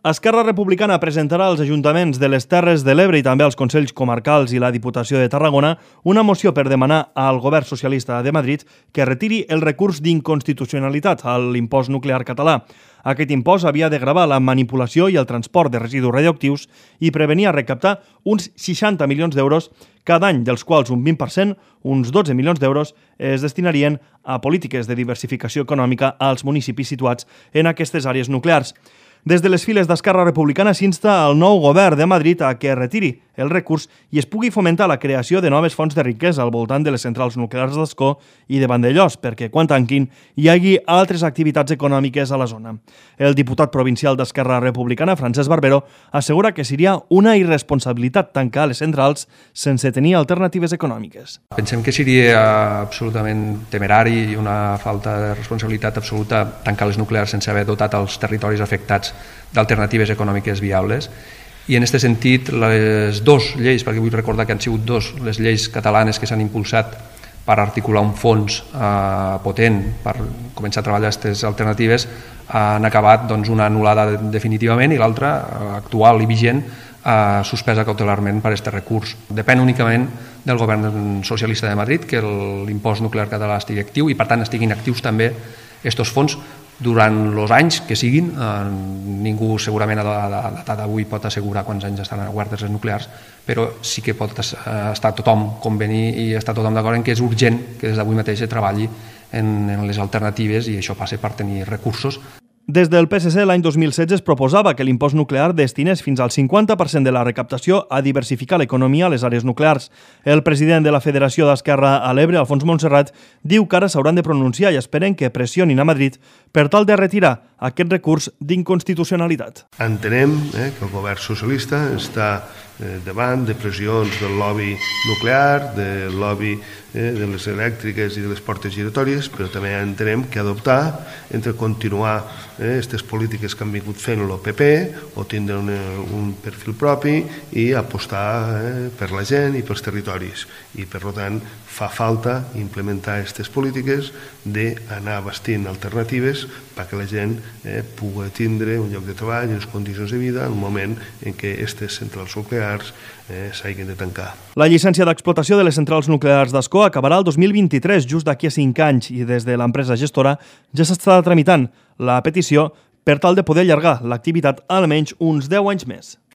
Esquerra Republicana presentarà als ajuntaments de les Terres de l'Ebre i també als Consells Comarcals i la Diputació de Tarragona una moció per demanar al govern socialista de Madrid que retiri el recurs d'inconstitucionalitat a l'impost nuclear català. Aquest impost havia de gravar la manipulació i el transport de residus radioactius i prevenia recaptar uns 60 milions d'euros cada any, dels quals un 20%, uns 12 milions d'euros, es destinarien a polítiques de diversificació econòmica als municipis situats en aquestes àrees nuclears. Des de les files d'Esquerra Republicana s'insta al nou govern de Madrid a que retiri el recurs i es pugui fomentar la creació de noves fonts de riquesa al voltant de les centrals nuclears d'Ascó i de Vandellòs, perquè quan tanquin hi hagi altres activitats econòmiques a la zona. El diputat provincial d'Esquerra Republicana, Francesc Barbero, assegura que seria una irresponsabilitat tancar les centrals sense tenir alternatives econòmiques. Pensem que seria absolutament temerari i una falta de responsabilitat absoluta tancar les nuclears sense haver dotat els territoris afectats d'alternatives econòmiques viables. I en aquest sentit, les dues lleis, perquè vull recordar que han sigut dues les lleis catalanes que s'han impulsat per articular un fons potent per començar a treballar aquestes alternatives, han acabat una anul·lada definitivament i l'altra, actual i vigent, suspesa cautelarment per aquest recurs. Depèn únicament del govern socialista de Madrid que l'impost nuclear català estigui actiu i per tant estiguin actius també aquests fons durant els anys que siguin. Ningú segurament a data d'avui pot assegurar quants anys estaran obertes les nuclears, però sí que pot estar tothom convenir i estar tothom d'acord en que és urgent que des d'avui mateix es treballi en les alternatives i això passa per tenir recursos. Des del PSC l'any 2016 es proposava que l'impost nuclear destinés fins al 50% de la recaptació a diversificar l'economia a les àrees nuclears. El president de la Federació d'Esquerra a l'Ebre, Alfons Montserrat, diu que ara s'hauran de pronunciar i esperen que pressionin a Madrid per tal de retirar aquest recurs d'inconstitucionalitat. Entenem que el govern socialista està davant de pressions del lobby nuclear, del lobby de les elèctriques i de les portes giratòries, però també entenem que adoptar entre continuar aquestes polítiques que han vingut fent el PP o tindre un perfil propi i apostar per la gent i pels territoris. I per tant fa falta implementar aquestes polítiques d'anar bastint alternatives perquè la gent pugui tindre un lloc de treball i unes condicions de vida en el moment en què aquestes centrals nuclears s'hagin de tancar. La llicència d'explotació de les centrals nuclears d'Ascó acabarà el 2023, just d'aquí a 5 anys, i des de l'empresa gestora ja s'està tramitant la petició per tal de poder allargar l'activitat almenys uns 10 anys més.